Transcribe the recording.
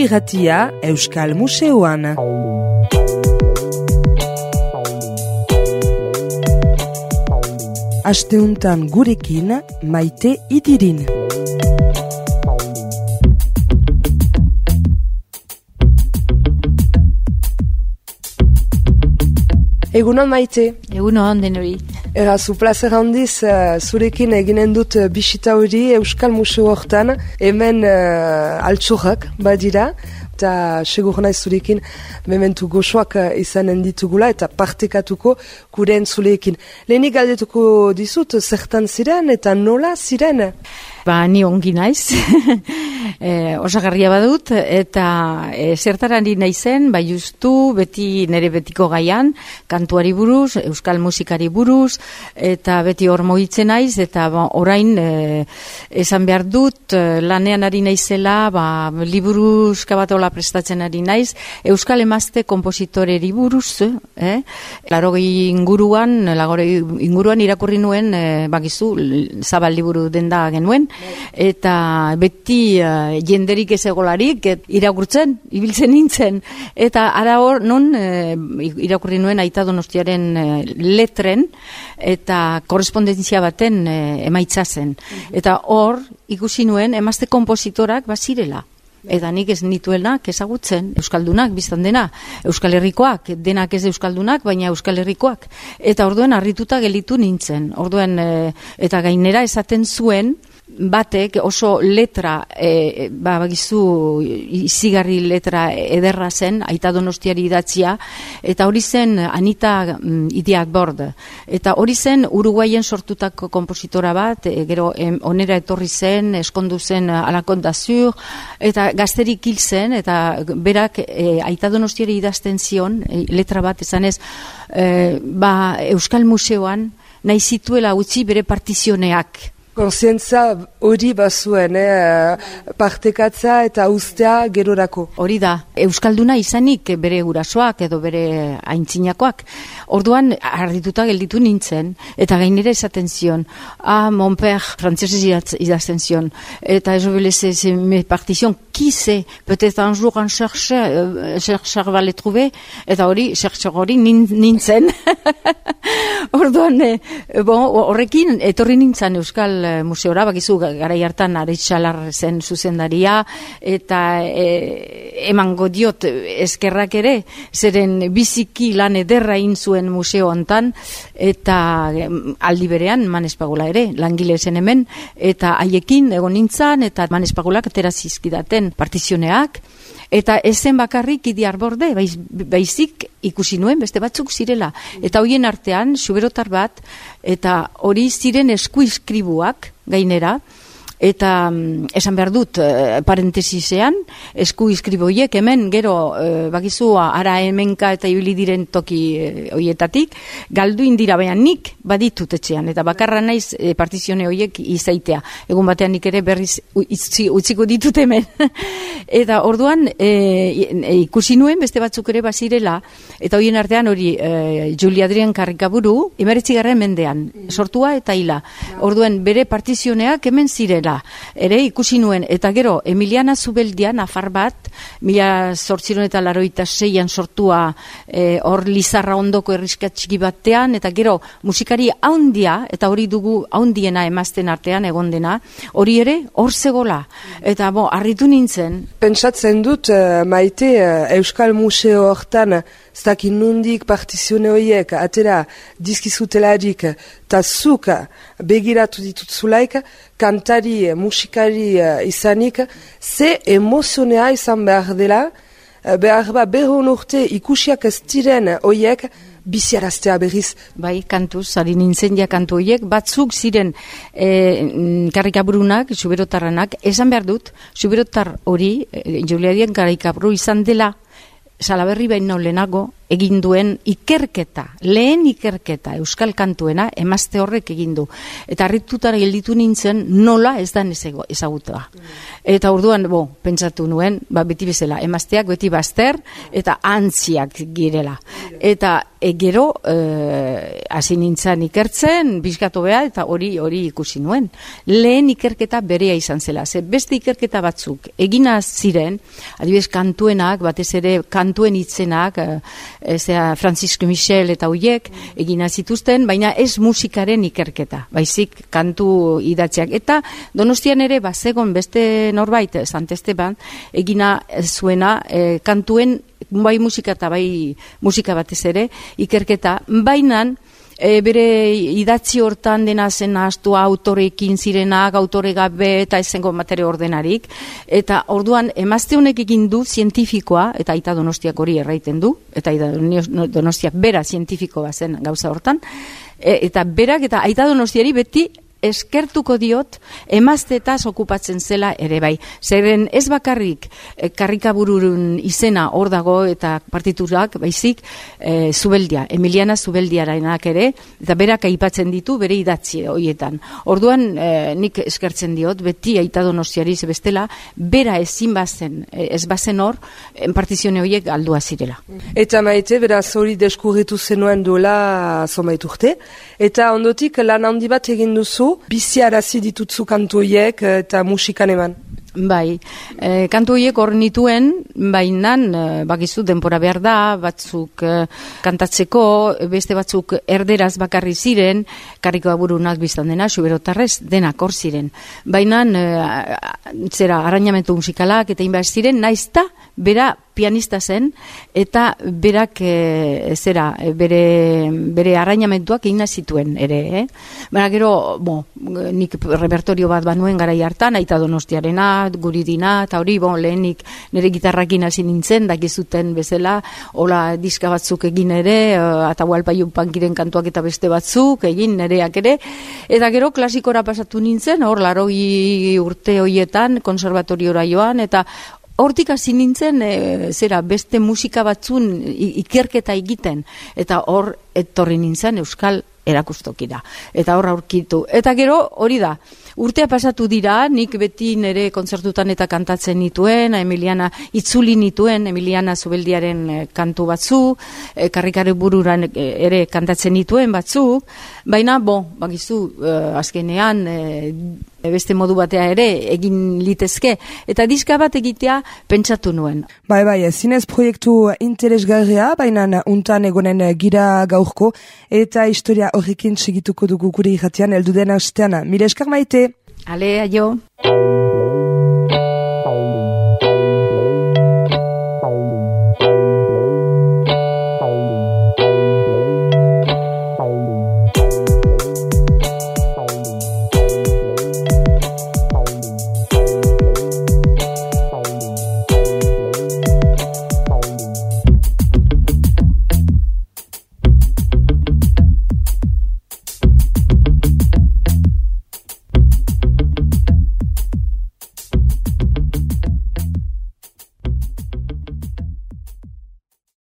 irratia Euskal Museoan. Asteuntan gurekin Maite Idirin. Egunon Maite. Egunon denori. Zu plazer handiz zurekin eginen dut bisita hori Euskal Museo hortan, hemen altxorrak badira, eta segur naiz zurekin mementu goxoak izanen ditugula eta partekatuko gure entzuleekin. Lehenik galdetuko dizut, zertan ziren eta nola ziren? Ni ongi naiz, osagarria badut, eta zertarari naizen, justu beti nire betiko gaian, kantuari buruz, euskal musikari buruz, eta beti hor mogitzen naiz, eta orain esan behar dut, lanean ari naizela, liburuzka bat hola prestatzen ari naiz, euskal emazte kompositoreri buruz, larogei inguruan irakurri nuen, bakizu, zabal liburu denda genuen, eta beti jenderik ez egolarik irakurtzen, ibiltzen nintzen, eta ara hor non irakurri nuen Aita Donostiaren letren eta korrespondentzia baten emaitza zen. Eta hor ikusi nuen emazte konpositorak bazirela. Eta nik ez nituenak ezagutzen, euskaldunak, biztan dena, Euskal Herrikoak, denak ez euskaldunak, baina Euskal Herrikoak. Eta orduan harrituta gelitu nintzen. Orduan, eta gainera esaten zuen, batek oso letra, bagizu izigarri letra ederra zen, Aita Donostiari idatzia, eta hori zen Anita Idiak Bord. Eta hori zen Uruguaien sortutako kompositora bat, gero onera etorri zen, eskondu zen Alakon d'Azur, eta gazterik hil zen, eta berak Aita Donostiari idazten zion, letra bat esanez, Euskal Museoan nahi zituela utzi bere partizioneak. Konsientza hori bazuen, partekatza eta ustea gerorako. Hori da, euskalduna izanik bere gurasoak edo bere aintzinakoak. Orduan, ardituta gelditu nintzen, eta gainera esaten zion, mon père, frantzesez idazten zion, eta ez obelez me partizion, qui sait, peut-être un jour un chercheur va le trouver, eta hori, chercheur hori nintzen. Orduan, horrekin, etorri nintzen Euskal Museora, bakizu garai hartan Aretxalar zen zuzendaria, eta emango diot eskerrak ere, zeren biziki lan ederra egin zuen museo hontan, eta aldi berean Manespagula ere, langile zen hemen, eta haiekin egon nintzen, eta Manespagulak atera zizkidaten partizioneak, eta ezen bakarrik Idiar Borde, baizik ikusi nuen beste batzuk zirela. Eta hoien artean, xuberotar bat, eta hori ziren eskuizkribuak gainera, eta esan behar dut, parentesisean, eskuizkriboiek hemen, gero, bakizu, ara hemenka eta ibili diren toki hoietatik, galdu indira, baina nik baditut etxean, eta bakarra naiz partizione hoiek izaitea. Egun batean nik ere berriz utziko ditut hemen. Eta orduan, ikusi nuen, beste batzuk ere bazirela, eta hoien artean hori, Juli Adrian Karrikaburu, 19. mendean, sortua eta hila. Orduan, bere partizioneak hemen zirela. Ere ikusi nuen, eta gero Emiliana Zubeldia, nafar bat, 1886an sortua hor Lizarra ondoko erriskatxiki batean, eta gero musikari haundia, eta hori dugu haundiena emazten artean egon dena, hori ere hor zegola, eta harritu nintzen. Pentsatzen dut, Maite, Euskal Museo hortan, zaki nundik partizione horiek, atera dizkizutelarik, eta zuk begiratu ditutzulaik, kantari, musikari izanik, ze emozionea izan behar dela, behar berron urte ikusiak ez diren horiek, biziaraztea berriz. Bai, kantuz, ari nintzen kantu horiek, batzuk ziren Karrikaburunak, xuberotarranak, esan behar dut, xuberotar hori, Juliadien Karrikaburu izan dela, Salaberri baino lehenago, egin duen ikerketa, lehen ikerketa euskal kantuena emazte horrek egin du. Eta harritutara gelditu nintzen nola ez da ezagutua. Eta orduan, pentsatu nuen, beti bezala, emazteak beti bazter eta antziak girela. Eta gero hasi nintzen ikertzen, bizkatu beha, eta hori ikusi nuen. Lehen ikerketa berea izan zela. Beste ikerketa batzuk egina ziren, adibidez kantuenak, batez ere kantuen hitzenak, Francisco Michel eta hoiek egina zituzten, baina ez musikaren ikerketa, baizik kantu idatziak. Eta Donostian ere bazegon beste norbait, Sant Esteban, egina zuena kantuen, bai musika eta bai musika batez ere, ikerketa, bainan bere idatzi hortan dena zen ahaztua autorekin zirenak, autore gabe eta ezengo materia ordenarik, eta orduan emazte honek egin du zientifikoa, eta Aita Donostiak hori erraiten du, eta Aita Donostiak bera zientifikoa zen gauza hortan, eta berak eta Aita Donostiari beti eskertuko diot emaztetaz okupatzen zela ere bai. Zeren ez bakarrik karrikaburun izena hor dago eta partiturak, baizik Zubeldia, Emiliana Zubeldiarenak ere, eta berak aipatzen ditu bere idatzi horietan. Orduan nik eskertzen diot, beti Aita Donostiari bestela, bera ez bazen hor, partizione horiek aldua zirela. Eta Maite, beraz hori deskurritu zenuen duela zonbait urte, eta ondotik lan handi bat egin duzu, biziarazi ditutzu kantu horiek eta musikan eman. Bai, kantu horiek hor nituen, baina bakizu denpora behar da, batzuk kantatzeko, beste batzuk erderaz bakarri ziren, karrikaburunak biztan dena, xuberotarrez denak hor ziren. Baina arrainamentu musikalak eta inbaz ziren, naizta bera pianista zen, eta berak bere arrainamentuak egin zituen ere. Baina gero, nik repertorio bat banuen garai hartan, Aita Donostiarena, Guridina, eta hori, lehenik nire gitarrakin hasi nintzen, dakizuten bezala, hola diska batzuk egin ere, Atahualpa Yupankiren kantuak eta beste batzuk, egin nireak ere, eta gero klasikora pasatu nintzen, hor 80 urte horietan, konservatoriora joan, eta hortik hasi nintzen, beste musika batzun ikerketa egiten, eta hor etorri nintzen euskal erakustokira. Eta hor aurkitu. Eta gero hori da, urtea pasatu dira, nik beti nire kontzertutan eta kantatzen nituen, Emiliana itzuli nituen, Emiliana Zubeldiaren kantu batzu, karrikare bururan ere kantatzen nituen batzu, baina, bakizu, azkenean, beste modu batea ere egin litezke, eta diska bat egitea pentsatu nuen. Bai, zinez proiektu interesgarria, baina untan egonen gira gaurko, eta historia horrekin segituko dugu gure irratian, heldu den astean. Mila esker Maite! Ale, aio!